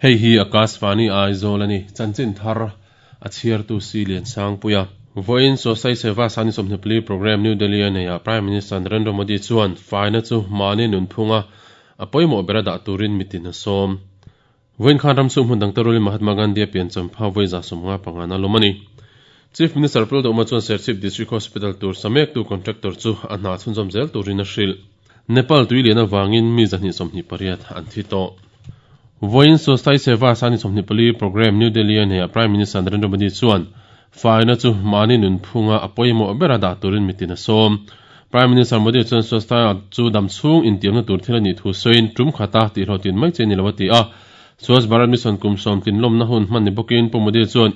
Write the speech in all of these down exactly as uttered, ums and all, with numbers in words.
Hei hi Akashvani Aizawl ani chanchin thar a chhiartu si lian sangpuia Voin Sosai Seva Sani Somhnipli program New Delhi nei a Prime Minister Narendra Modi chuan faina chu mani nunphunga a pawimawh bera dah turin mitin a sawm. Voin khan ram sum hmun dang tarulin Mahatma Gandhi a pian champha voi za sawmnga pangana lawm ani. Chief Minister Pul Doma chuan Serchhip District Hospital tur samek tu contractor chu a hna chhunzawm zel turin a hrilh. Nepal tuilian awangin mi zahnih sawmhnih pariat an thi tawh. Voin Sosai Seva Sani Somhnipli program New Delhi nei a Prime Minister Narendra Modi chuan faina chu mani nunphunga a pawimawh bera dah turin mitin a sawm. Prime Minister Modi chuan Swasthya chu damchhung intiamna tur thil ani thu sawiin tum khata tih hlawhtin mai che ni lo a ti a. Swachh Bharat Mission kum sawm tlin lawmna hun hman ni bawkin Pu Modi chuan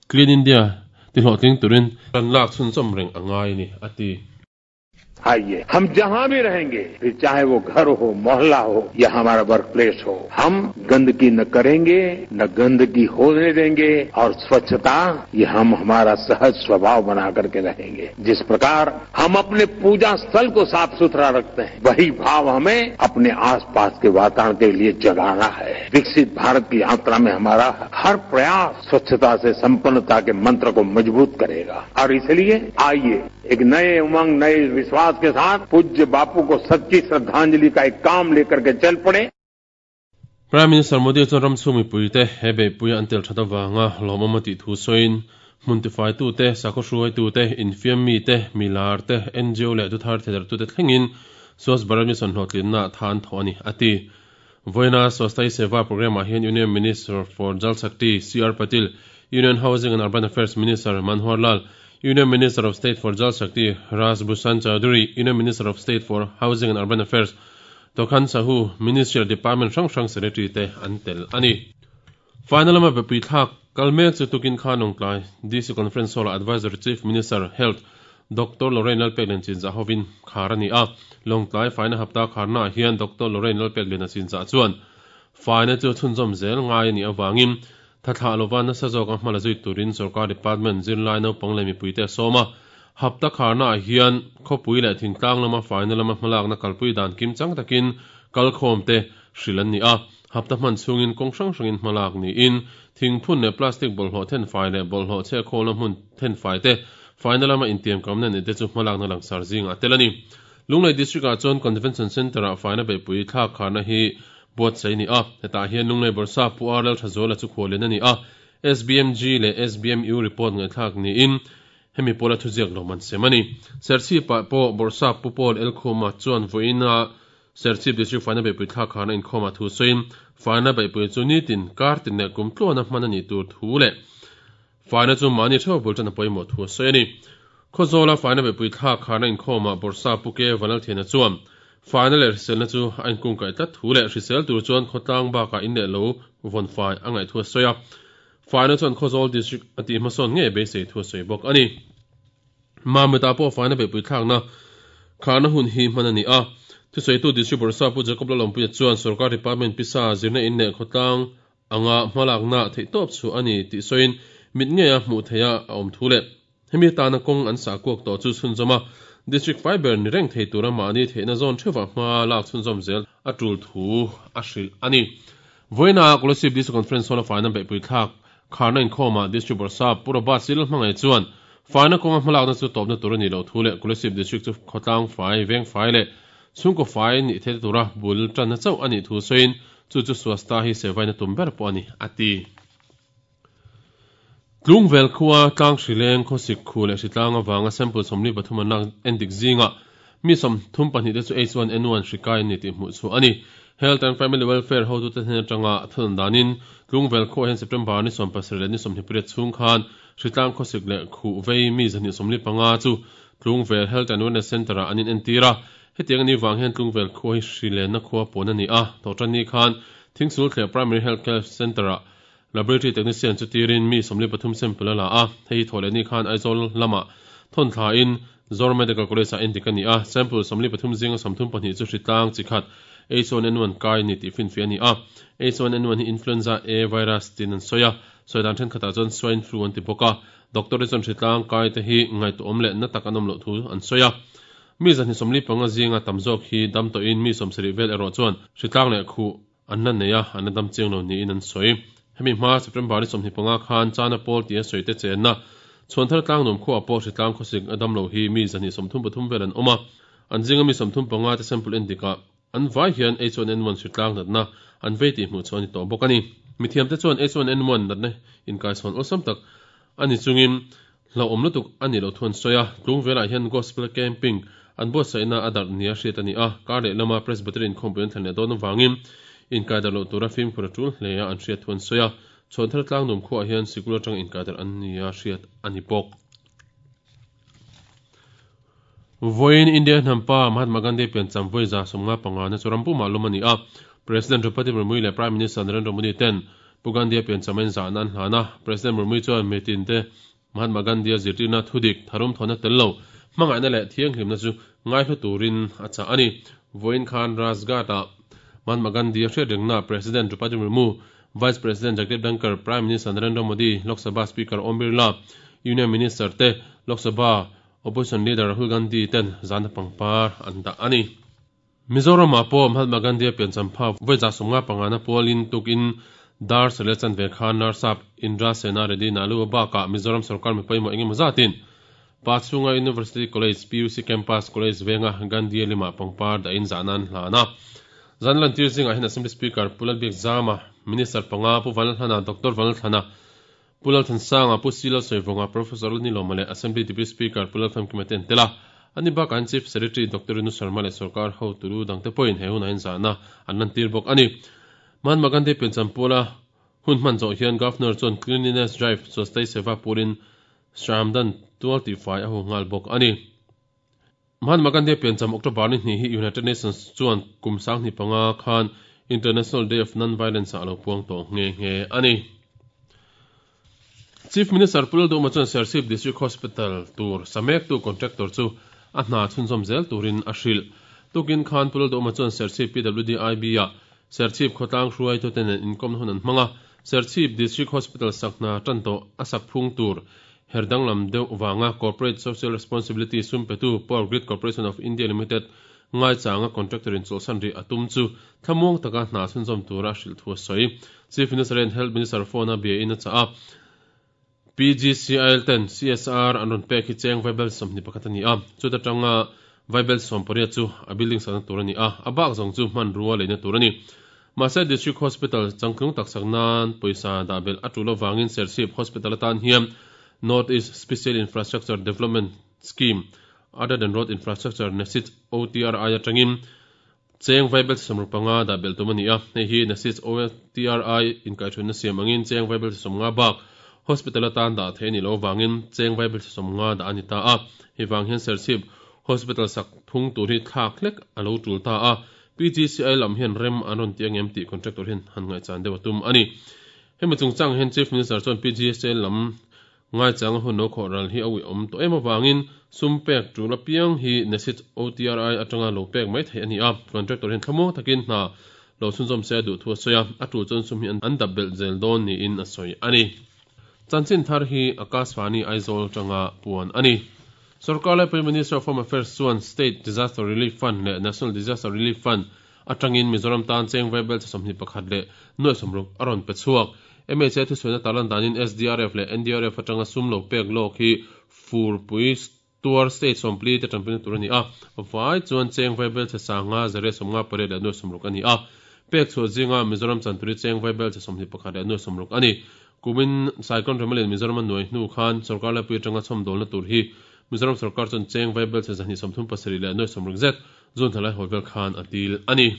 Clean India ti hlawhtling turin kan lak chhunzawm reng a ngai ni a ti. आइए हम जहां भी रहेंगे, फिर चाहे वो घर हो, मोहल्ला हो या हमारा वर्क प्लेस हो, हम गंदगी न करेंगे, न गंदगी होने देंगे और स्वच्छता ये हम हमारा सहज स्वभाव बना करके रहेंगे। जिस प्रकार हम अपने पूजा स्थल को साफ सुथरा रखते हैं, वही भाव हमें अपने आसपास के वातावरण के लिए जगाना है। विकसित भारत की यात्रा में हमारा हर प्रयास स्वच्छता से संपन्नता के मंत्र को मजबूत करेगा और इसलिए आइए एक नए उमंग, नए विश्वास के साथ पूज्य बापू को सच्ची श्रद्धांजलि का एक काम लेकर के चल पड़े। Prime Minister Modi chuan ram chhung mipuite he beihpui an tel that awanga lawmawm a tih thu sawiin hmun tifai tu te, sakhaw hruai tu te, infiam mi te, milar te, N G O leh thuthar thedar tu te thlengin Swachh Bharat Mission hlawhtlinna than thaw ani a ti. Voina Swasthya Seva program ah hian Union Minister for Jal Shakti C R Patil, Union Housing and Urban Affairs Minister Manohar Lal, Union Minister of State for Jal Shakti Raj Bhushan Chaudhary, Union Minister of State for Housing and Urban Affairs Tokhan Sahu, Ministry Department hrang hrang Secretary te an tel ani. Final ama bepui thlak kalme chu tukin khan Lawngtlai D C Conference Hall Advisor Chief Minister Health Doctor Lorraine Lalpeklian Chinzah hovin khar ani a. Lawngtlai faina hapta kharna hian Doctor Lorraine Lalpeklian Chinzah chuan faina chu chhunzawm zel ngai ani awangin thathla lova nasa zawk a hmala zui turin sarkar department zirlai naupang leh mipuite a sawm a. Hapta kharna hian khawpui leh thingtlang lama faina lama hmalakna kalpui dan kim chang takin kalkhawm te hrilh an ni a. Hapta hman chhungin kawng hrang hrangin hmalak niin thingphun leh plastic bawlhhlawh then fai leh bawlhhlawh chhe khawlna hmun then fai te faina lama intiam kamna ni te chu hmalakna langsar zingah tel ani. Lunglei district ah chuan Convention Centre ah faina beihpui thlak kharna hi buatsaih ni a. Hetah hian Lunglei Borsa Pu R L Thazuala chu khualin ani a. S B M G leh S B M U report ngaihthlak niin hemi pawla thuziak lo man sem ani. Serchhip ah pawh Borsa Pu Paul El Khuma chuan vawiina Serchhip district faina beihpui thlak kharna inkhawm ah thu sawiin faina beihpui chu nitin kar tin leh kum tluana hman ani tur thu leh faina chu mahni theuh bul tan a pawimawh thu a sawi ani. Khawzawla faina beihpui thlak kharna inkhawm ah Borsa Pu Ke Vanal Thiana chuan faina leh hriselna chu a inkung kaih tlat thu leh hrisel tur chuan khawtlang bakah in leh lo vawn fai a ngaih thu a sawi a. Faina chuan Khawzawl district a tih hmasawn nge beisei thu a sawi bawk ani. Mamita pawh faina beihpui thlakna kharna hun hi hman ani a. Thusawitu district Borsa Pu Jacob Lalawmpuia chuan sarkar department pisa zirna in leh khawtlang anga hmalakna theihtawp chu ani tih sawiin mit nge a hmuh theia a awm thu leh hemi tana kawng an sah kuak tawh chu chhunzawm a. District Fiber ni reng thei tura mahni theihna zawn theuhah hma lak chhunzawm zel a tul thu a hrilh ani. Voina Kolasib District Conference Hall a faina beihpui thlak kharna inkhawm ah District Borsa Pu Robert Sil hmangai chuan faina kawnga hmalakna chu tawpna tur ani lo thu leh Kolasib District chu khawtlang fai, veng fai leh chhungkaw fai ni thei tura bul tanna chauh ani thu sawiin chu chu Swasthya hi sevaina tum ber pawh ani a ti. Tlungvel khuwa tlang hrileng khawsik khu leh hritlang awanga sample sawmli pathum an lak endik zinga mi sawm thum pahnih te chu H one N one hrikai ani tih hmuh chu ani. Health and Family Welfare hotu te hnen atanga thun danin Tlungvel khuwa hian September ni sawm pasarih leh ni sawmhnih pariat chhung khan hritlang khawsik leh khu vei mi zahnih sawmli panga chu Tlungvel Health and Wellness Centre ah an in entira. Hetiang ani wang hian Tlungvel khuwa hi hrilenna khuwa pawn ani a. Tawhtan ni khan Thingsul thleh Primary Health Care Centre ah Laboratory technician chu tirin mi sawmli pathum sample a la a. Hei thawh ni khan Aizawl lama thawn thla in Zor Medical College ah endik ani a. Sample sawmli pathum zinga sawmthum pahnih chu hritlang chi khat H one N one kai ni tih finfi ani a. H one N one hi influenza A virus tin an sawi a. Sawidan thenkhatah chuan swine flu an ti bawk a. Doctor chuan hritlang kai te hi ngaihtuah awm leh na tak an awm loh thu an sawi a. Mi zahnih sawmli panga zinga tam zawk hi dam tawhin mi sawmsarih vel erawh chuan hritlang leh khu an la nei a, an la dam chiang lo niin an sawi. Hemi hma September ni sawmhnih panga khan Chana pawl tia sawi te chenna Chhuanthar tlangnuam khuaah pawh hritlang khawsik a dam lo hi mi zahnih sawmthum pathum vel an awm a, an zinga mi sawmthum panga te sample en dikah an vai hian H one N one hritlang natna an vei tih hmuh chu a ni tawh bawk a ni. Mithiamte chuan H one N one natna inkaichhawn awlsam tak a ni chungin hlauhawm lutuk a nih loh thu an sawi a, tlung velah hian gospel camping an buatsaihna a darh nia hriat a ni a, kar leh lama Presbyterian khawmpui an thlen leh dawn avangin inkai darh loh tura fimkhur a tul hle a an hriat thu an sawi a, Chhuanthar tlangnuam khuaah hian sikul atanga inkai darh an nia hriat a ni bawk. Vawiin India hnampa Mahatma Gandhi piancham vawi za sawmnga panga na chu ram pumah lawm a ni a, President Draupadi Murmu leh Prime Minister Narendra Modi ten Pu Gandhi-a piancham a inzahna an hlan a, President Murmu chuan mitin te Mahatma Gandhi-a zirtirna thudik tharum thawhna tel lo hmangaihna leh thianghlimna chu ngaihlu turin a chah a ni. Vawiin khan Rajghat-ah Mahatma Gandhi-a hriat rengna President Draupadi Murmu, Vice President Jagdeep Dhankhar, Prime Minister Narendra Modi, Lok Sabha Speaker Om Birla, Union Minister te, Lok Sabha Opposition Leader Rahul Gandhi ten zana pangpar an dah a ni. Mizoramah pawh Mahatma Gandhi-a piancham phak vawi za sawmnga pangana pualin tukin dar sele chan ve khan Narsap Indra Sena Reddy Nalu bakah Mizoram sarkar mi pawimawh engemaw zatin Pachhunga University College P U C Campus College venga Gandhi-a limah pangpar dahin zahna an hlan a. Zan lantir zingah hian Assembly Speaker Pu Lalbiak Zama, Minister panga Pu Vanlalthlana, Doctor Vanlalthlana, Pu Lalthansanga, Pu Silo Sawivawnga, Professor Lalnilawma leh Assembly Deputy Speaker Pu Lalfamkima te an tel a. Ani bakah an Chief Secretary Doctor Renu Sharma leh sarkar hotulu dangte pawhin he hunah hian zahna an lantir bawk a ni. Mahatma Gandhi piancham pawla hun hman zawh hian Governor chuan Cleanliness Drive Swasthai Seva purin Shramdan tual tihfai a hu nghal bawk a ni. Mahatma Gandhi piancham October ni hnih hi United Nations chuan kum sanghnih panga khan International Day of Non-Violence ah a lo puang tawh nghe nghe a ni. Chief Minister Pu Lalduhma chuan Serchhip District Hospital tur samektu contractor chu a hna chhunzawm zel turin a hrilh. Tukin khan Pu Lalduhma chuan Serchhip P W D I B ah Serchhip khawtlang hruaitute nen inkawmna hun an hmang a, Serchhip District Hospital sak hna tan tawh a sak phung tur herdanglam deuh vanga Corporate Social Responsibility sum petu Power Grid Corporation of India Limited ngaichanga contractor in chawlhsan rih a tum chu thlamuang taka hna chhunzawm tura a hrilh thu a sawi. Chief Minister and Health Minister phone a bia in a chah a, P G C I L ten C S R an rawn pek hi cheng vaibel sawmhnih pakhat a ni a, chuta tanga vaibel sawm pariat chu a building sakna tur a ni a, a bak zawng chu hmanrua leina tur a ni. Mahse District Hospital changtlung tak sak nan pawisa dah belh a tul avangin Serchhip Hospital atan hian North East Special Infrastructure Development Scheme other than road infrastructure NESIDS O T R I atangin cheng vaibel sawmruk panga dah belh tum a ni a, hei hi NESIDS O T R I inkaihhruaina siam angin cheng vaibel sawmnga bak hospital atan dah thei ni lo wangin cheng vaibel sawmnga dah a ni ta a, hei vang hian Serchhip Hospital sak phung tur hi thlak hlek a lo tul ta a, P G C I lam hian rem an rawn ti angem tih contractor hian han ngaihchan deuh a tum a ni. Hemi chungchang hian Chief Minister chuan P G C I lam ngaichang a hun lo khawh ral hi a uih awm tawh em avangin sum pek tul apiang hi NESIDS O T R I atanga lo pek mai thei a ni a, contractor hian thlamuang takin hna lo chhunzawm se a duh thu a sawi a, a tul chuan sum hi an dap belh zel dawn niin a sawi a ni. Chanchin thar hi Akashvani Aizawl tanga puan a ni. Sarkar lai Prime Minister of Home Affairs chuan State Disaster Relief Fund leh National Disaster Relief Fund atangin Mizoram tan cheng vaibel sawmhnih pakhat leh nuai sawmruk a rawn pe chhuak. M H A thusawina tarlan danin S D R F leh N D R F atanga sum lo pek lawk hi furpui tuar state sawmpli te tanpuina tur a ni a, vai chuan cheng vaibel che sanga zare sawmnga pariat leh nuai sawmruk a ni a, pek chhuah zinga Mizoram chanturi cheng vaibel che sawmhnih pakhat leh nuai sawmruk a ni. Kumin Cyclone Remalin Mizoram a nuai hnu khan sarkar laipui atanga chhawmdawlna tur hi Mizoram sarkar chuan cheng vaibel che zahnih sawmthum pasarih leh nuai sawmruk zet zun thalai haw vel khan a dil a ni.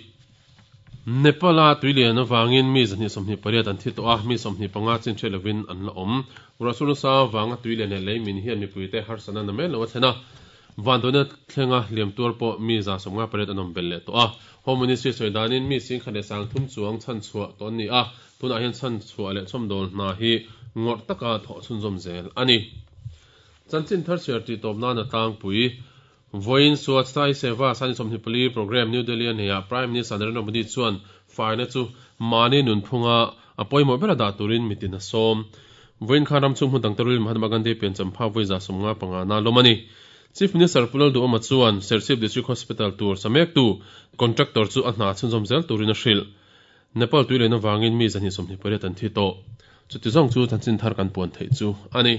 Nepal-a tuilian avangin mi zahnih sawmhnih pariat an thi tawh a, mi sawmhnih panga chin hriat lovin an la awm. Ruahsur nasa vanga tuilian leh leimin hian mipuite harsana na mai lo a thlen a, vanduaina thlenga liam tuar pawh mi za sawmnga pariat an awm belh leh tawh a. Home Ministry sawi danin mi singkhat leh sangthum chuang chhan chhuah tawh an ni a, tunah hian chhan chhuah leh chhawmdawl hna hi ngawrh taka thawh chhunzawm zel a ni. Chanchin thar chhiar tih tawp nan a tlangpui Vawiin Swachhtai Seva Sani sawmhnih pali program New Delhi a neihah Prime Minister Narendra Modi chuan faina chu mahni nunphunga a pawimawh ber a dah turin mitin a sawm. Vawiin khan ram chhung hmun dang terul Mahatma Gandhi piancham pha vawi za sawmnga panga na lawm a ni. Chief Minister Pu Lalduhoma chuan Serchhip District Hospital tur samektu contractor chu a hna chhunzawm zel turin a hrilh. Nepal tuilian avangin mi zahnih sawmhnih pariat an thi tawh. Chuti zawng chu chanchin thar kan puan theih chu a ni.